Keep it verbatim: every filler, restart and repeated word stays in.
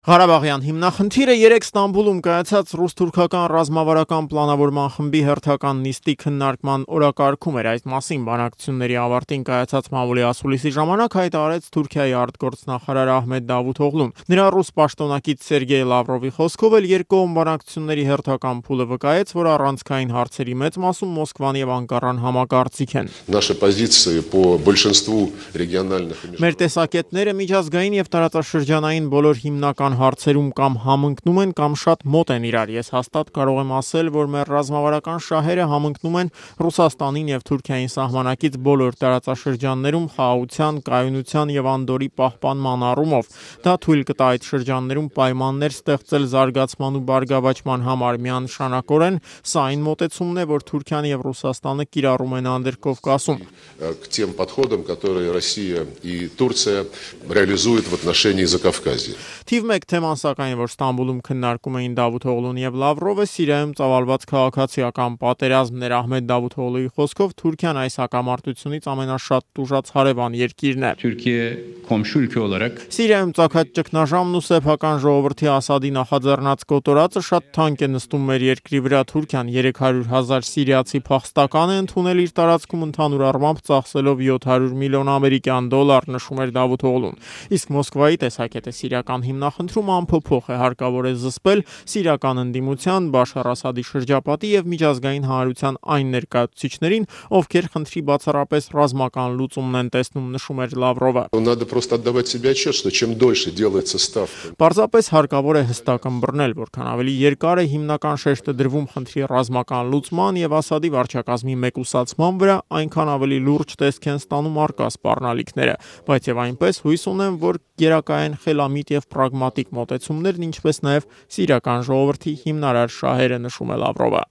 Ղարաբաղյան հիմնախնդիրը երեկ Ստամբուլում կայացած ռուս-թուրքական ռազմավարական պլանավորման խմբի հերթական նիստի քննարկման օրակարգում էր։ Այդ մասին բանակցությունների ավարտին կայացած մամուլի ասուլիսի ժամանակ հայտարարեց Թուրքիայի արտգործնախարար Ահմեդ Դավութօղլուն։ Նրա ռուս պաշտոնակից Սերգեյ Լավրովի խոսքով էլ երկկողմ բանակցությունների հերթական փուլը վկայեց, որ առանցքային հարցերի մեծ մասում Մոսկվան եւ Անկարան համակարծիք են։ Մեր տեսակետները միջազգային եւ տարածաշրջանային բոլոր հիմնական հարցերում կամ համընկնում են կամ շատ մոտ են իրար։ Ես հաստատ կարող եմ ասել, որ մեր ռազմավարական շահերը համընկնում են Ռուսաստանին եւ Թուրքիային սահմանակից բոլոր տարածաշրջաններում խաղաղության, կայունության եւ անդորրի պահպանման առումով։ Դա թույլ կտա այդ շրջաններում պայմաններ ստեղծել զարգացման ու բարգավաճման համար միանշանակորեն։ Սա այն մոտեցումն է, որ Թուրքիան եւ Ռուսաստանը կիրառում են Անդրկովկասում։ Թիվ մեկ թեման սակայն, որ Ստամբուլում քննարկում էին Դավութօղլուն եւ Լավրովը, Սիրիայում ծավալված քաղաքացիական պատերազմն էր։ Ահմեդ Դավութօղլուի խոսքով Թուրքիան այս հակամարտությունից ամենաշատ տուժած հարևան երկիրն է։ Սիրիայում ծագած ճգնաժամն ու սեփական ժողովրդի Ասադի նախաձեռնած կոտորածը շատ թանկ է նստում մեր երկրի վրա։ Թուրքիան երեք հարյուր հազար սիրիացի փախստական է ընդունել իր տարածքում ընդհանուր առմամբ ծախսելով յոթ հարյուր միլիոն ամերիկյան դոլար, նշում էր Դավութօղլուն։ Իսկ Մոսկվայի տեսակետը սիրիական հիմնախնդրում անփոփոխ է, հարկավոր է զսպել սիրիական ընդդիմության, Բաշար Ասադի շրջապատի եւ միջազգային հանրության այն ներկայացուցիչներին, ովքեր խնդրի բացառապես ռազմական լուծումն են տեսնում, նշում էր Լավրովը։ Պարզապես հարկավոր է հստակ ըմբռնել, որքան ավելի երկար է հիմնական շեշտը դրվում խնդրի ռազմական լուծման եւ Ասադի վարչակազմի մեկուսացման վրա, այնքան ավելի լուրջ տեսք են ստանում առկա սպառնալիքները, բայց եւ այնպես հույս ունեմ, որ գերակայեն խելամիտ եւ պրագմատիկ մոտեցումներն, ինչպես նաեւ սիրիական ժողովրդի հիմնարար շահերը, նշում է Լավրովը։